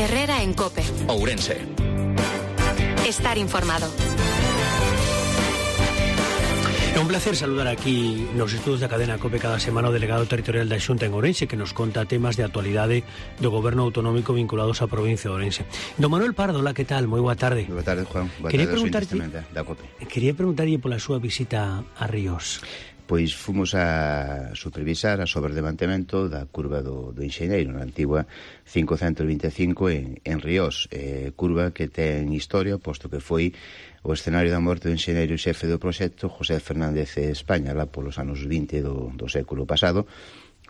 Herrera en COPE. Ourense. Estar informado. É un placer saludar aquí nos estudos da cadena COPE cada semana o delegado territorial da Xunta en Ourense, que nos conta temas de actualidade do goberno autonómico vinculados á provincia de Ourense. Don Manuel Pardo, la, que tal? Moi boa tarde. Boa tarde, Juan. Boa Quería tarde da COPE. Quería preguntarlle pola súa visita a Ríos. Pois fomos a supervisar a sobre de mantemento da curva do Enxeñeiro, na antigua 525 en Ríos, curva que ten historia, posto que foi o escenario da morte do enxeñeiro e xefe do proxecto José Fernández España, lá polos anos 20 do século pasado,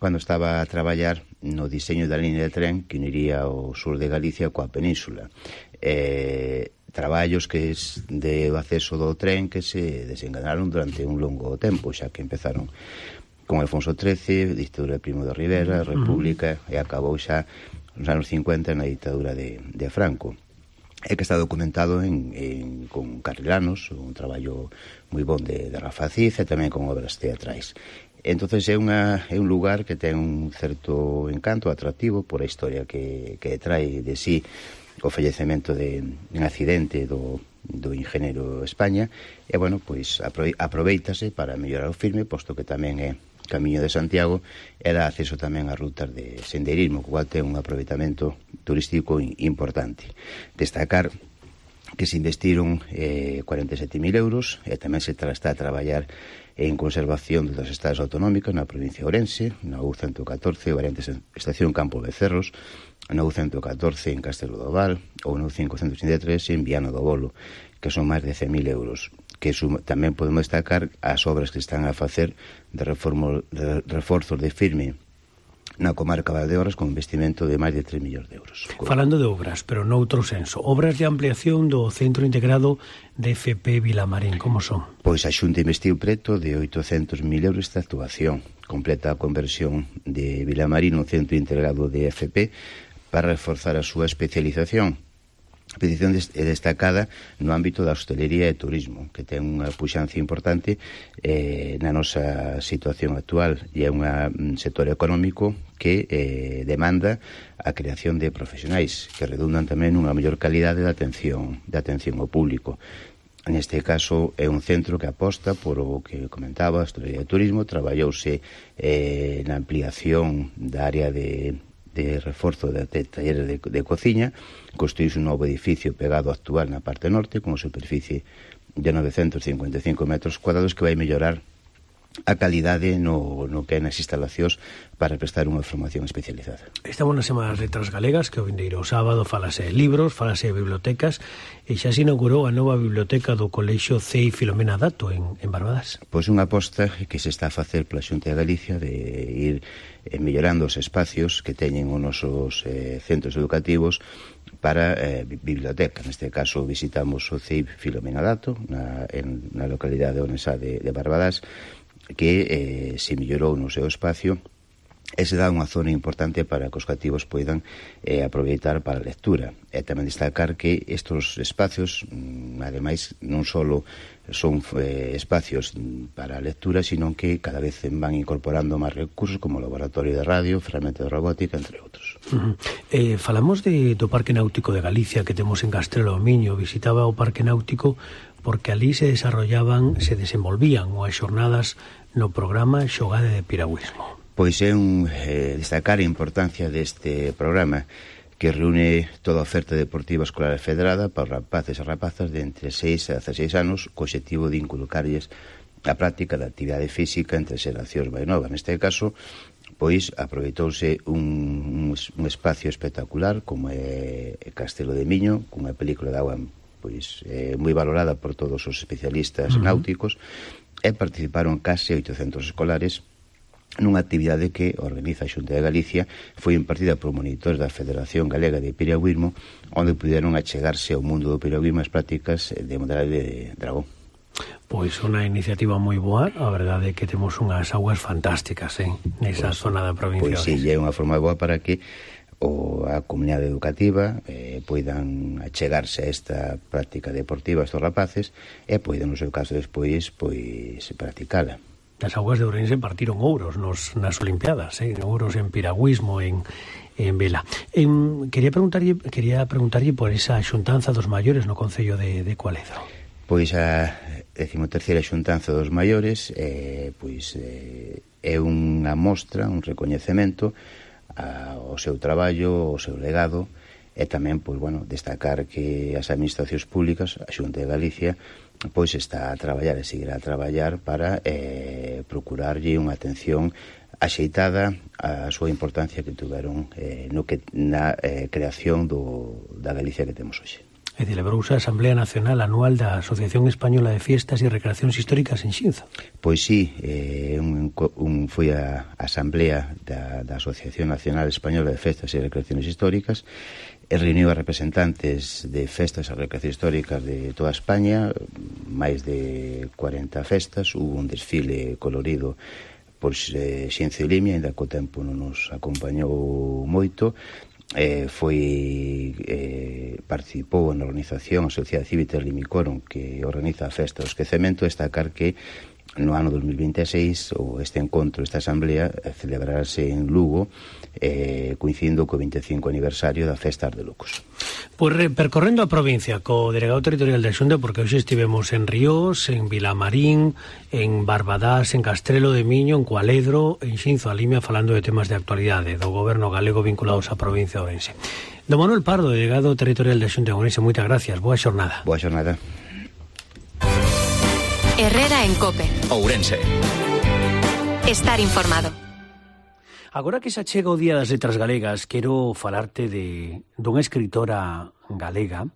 cando estaba a traballar no diseño da línea de tren que uniría o sur de Galicia coa península. Traballos que de acceso do tren que se desenganaron durante un longo tempo, xa que empezaron con Alfonso XIII, ditadura de Primo de Rivera, República, e acabou xa nos anos 50 na ditadura de Franco. É que está documentado con carrilanos, un traballo moi bon de Rafa Cid e tamén con obras teatrais. Entonces é un lugar que ten un certo encanto atractivo por a historia que trae de sí o fallecemento en accidente do enxeñeiro España, e, bueno, pois aproveítase para mellorar o firme, posto que tamén é Camiño de Santiago, e dá acceso tamén a rutas de sendeirismo, cual ten un aproveitamento turístico importante. Destacar que se investiron 47.000 euros, e tamén se está a traballar en conservación das estadas autonómicas na provincia de Ourense, na U114, variante estación Campo Becerros, na U114 en Castelo do Val, ou na U583 en Viana do Bolo, que son máis de 100.000 euros, que tamén podemos destacar as obras que están a facer de reforzos de firme na comarca de Valdeorras con investimento de máis de 3 millóns de euros. Falando de obras, pero noutro senso, obras de ampliación do Centro Integrado de FP Vilamarín, como son? Pois a Xunta investiu preto de 800.000 euros esta actuación, completa a conversión de Vilamarín no Centro Integrado de FP para reforzar a súa especialización. A petición é destacada no ámbito da hostelería e turismo, que ten unha puxancia importante na nosa situación actual, e é un sector económico que demanda a creación de profesionais que redundan tamén unha mellor calidade de atención ao público. Neste caso é un centro que aposta por o que comentaba, a hostelería e turismo. Traballouse na ampliación da área de reforzo de talleres de cociña, construíse un novo edificio pegado ao actual na parte norte con superficie de 955 metros cuadrados que vai mellorar a calidade no que hai nas instalacións para prestar unha formación especializada. Estamos na Semana das Letras Galegas, que o vindeiro sábado falase de libros, falase de bibliotecas, e xa se inaugurou a nova biblioteca do Colexio CEI Filomena Dato en Barbadas. Pois unha aposta que se está a facer pola Xunta de Galicia de ir mellorando os espacios que teñen os nosos centros educativos para biblioteca. Neste caso visitamos o CEI Filomena Dato na localidade onesa de Barbadas, que se mellorou no seu espacio e se dá unha zona importante para que os cativos poidan aproveitar para a lectura. E tamén destacar que estes espacios, ademais, non só son espacios para a lectura, sino que cada vez van incorporando máis recursos como laboratorio de radio, ferramenta de robótica, entre outros. Falamos do Parque Náutico de Galicia que temos en Castrelo do Miño. Visitaba o Parque Náutico porque ali se desenvolvían as xornadas no programa Xogade de Piragüismo. Pois é destacar a importancia deste programa, que reúne toda a oferta deportiva escolar federada para os rapaces e rapazas de entre 6 a 16 anos, co obxectivo de inculcarlles a práctica da actividade física entre xeracións máis novas. Neste caso, pois aproveitouse un espacio espectacular como é Castelo de Miño, cunha película de agua pois moi valorada por todos os especialistas náuticos, e participaron case 800 escolares nunha actividade que organiza a Xunta de Galicia. Foi impartida por monitores da Federación Galega de Piragüismo, onde puderon achegarse ao mundo do piragüismo as prácticas de modalidade de dragón. Pois unha iniciativa moi boa, a verdade é que temos unhas augas fantásticas nesa zona da provincia. Pois sí, é unha forma boa para que a comunidade educativa poidan achegarse a esta práctica deportiva estos rapaces e poidan, no seu caso, despois practicala. As augas de Ourense partiron ouros nas Olimpiadas, ouros en piragüismo, en en vela. Quería preguntarlle por esa xuntanza dos maiores no Concello de Cualedro. Pois a 13ª xuntanza dos maiores é unha mostra, un recoñecemento ao seu traballo, ao seu legado, e tamén destacar que as administracións públicas, a Xunta de Galicia, está a traballar e seguirá a traballar para procurarlle unha atención axeitada a súa importancia que tuveron na creación da Galicia que temos hoxe. E celebrouse a Asamblea Nacional Anual da Asociación Española de Fiestas e Recreacións Históricas en Xinzo. Pois sí, foi a Asamblea da Asociación Nacional Española de Festas e Recreacións Históricas e reuniu a representantes de festas e recreacións históricas de toda España, máis de 40 festas, hubo un desfile colorido por Xinzo e Limia, ainda que o tempo non nos acompañou moito. Participou na organización a Sociedade Cívica Limicoron, que organiza a Festa do Esquecemento. Destacar que no ano 2026 este encontro, esta asamblea, celebrarase en Lugo, coincidindo co 25 aniversario da Festa de Lucos. Pois percorrendo a provincia co delegado territorial da Xunta, porque hoxe estivemos en Ríos, en Vilamarín, en Barbadás, en Castrelo de Miño, en Cualedro, en Xinzo a Limia, falando de temas de actualidade do goberno galego vinculados á provincia de Ourense. Don Manuel Pardo, delegado territorial da Xunta de Ourense, moitas gracias, boa xornada. Boa xornada. Herrera en COPE. Ourense. Estar informado. Agora que se achega o Día das Letras Galegas, quero falarte dunha escritora galega.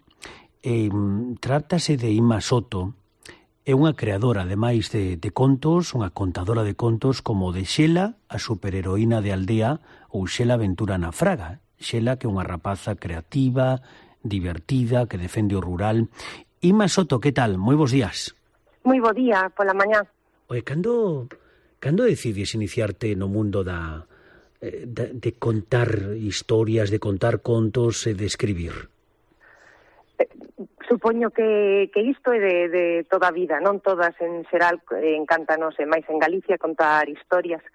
Trátase de Ima Soto. É unha creadora, ademais de contos, unha contadora de contos como de Xela, a superheroína de aldea, ou Xela Aventura na Fraga. Xela, que é unha rapaza creativa, divertida, que defende o rural. Ima Soto, que tal? Moi bons días. Moi bo día, pola mañá. Oye, cando decides iniciarte no mundo de contar historias, de contar contos e de escribir? Supoño que isto é de toda a vida, non todas en xeral encántanos, e máis en Galicia, contar historias.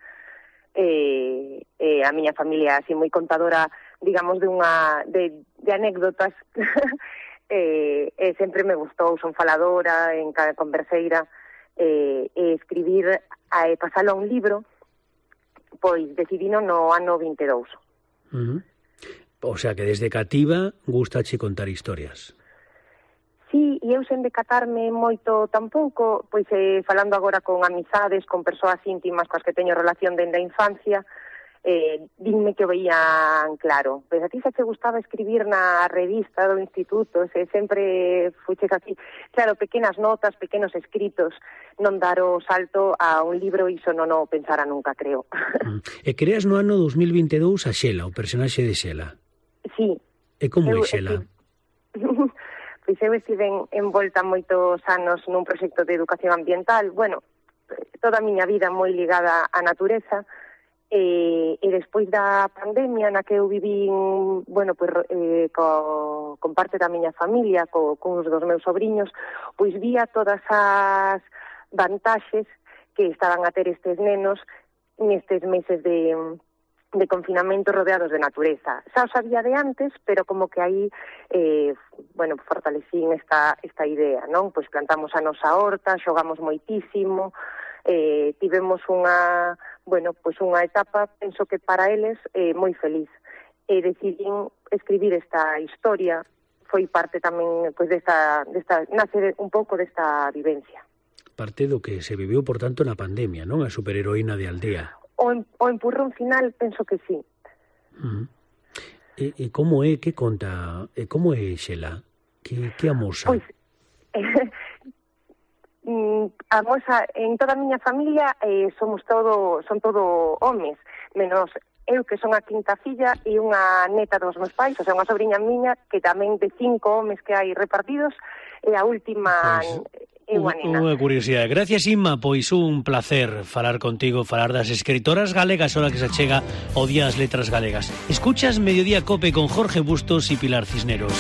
A miña familia así moi contadora, digamos, de anécdotas. Sempre me gustou, son faladora, converseira, escribir, pasalo a un libro, pois decidino no ano 22. O sea que desde cativa gustache contar historias. Sí, e eu sen decatarme moito tampouco, pois falando agora con amizades, con persoas íntimas coas que teño relación dende a infancia, dinme que o veían claro. Pois a ti xa te gustaba escribir na revista do instituto, sempre fuches así. Claro, pequenas notas, pequenos escritos, non dar o salto a un libro, iso non o pensara nunca, creo. E creas no ano 2022 a Xela, o personaxe de Xela. Sí. E como é Xela? Pois eu estive envolta moitos anos nun proxecto de educación ambiental, toda a miña vida moi ligada á natureza, e despois da pandemia na que eu vivín, con parte da miña familia, cuns dos meus sobriños, pois vía todas as vantaxes que estaban a ter estes nenos nestes meses de confinamento rodeados de natureza. Xa o sabía de antes, pero como que aí fortalecín esta idea, non? Pois plantamos a nosa horta, xogamos moitísimo, tivemos unha etapa, penso que para eles, moi feliz. E decidín escribir esta historia, foi parte tamén nace un pouco desta vivencia. Parte do que se viviu, por tanto, na pandemia, non? A superheroína de aldea. O empurrón final, penso que sí. E como é, que conta, e como é Xela? Que amosa? Pois, amosa, en toda a miña familia son todo homes, menos eu que son a quinta filla e unha neta dos meus pais, o sea, unha sobrinha miña que tamén de 5 homes que hai repartidos, e a última é unha nena. Unha curiosidade. Gracias, Inma, pois un placer falar contigo, falar das escritoras galegas, ahora que se chega o Día das Letras Galegas. Escuchas Mediodía Cope con Jorge Bustos e Pilar Cisneros.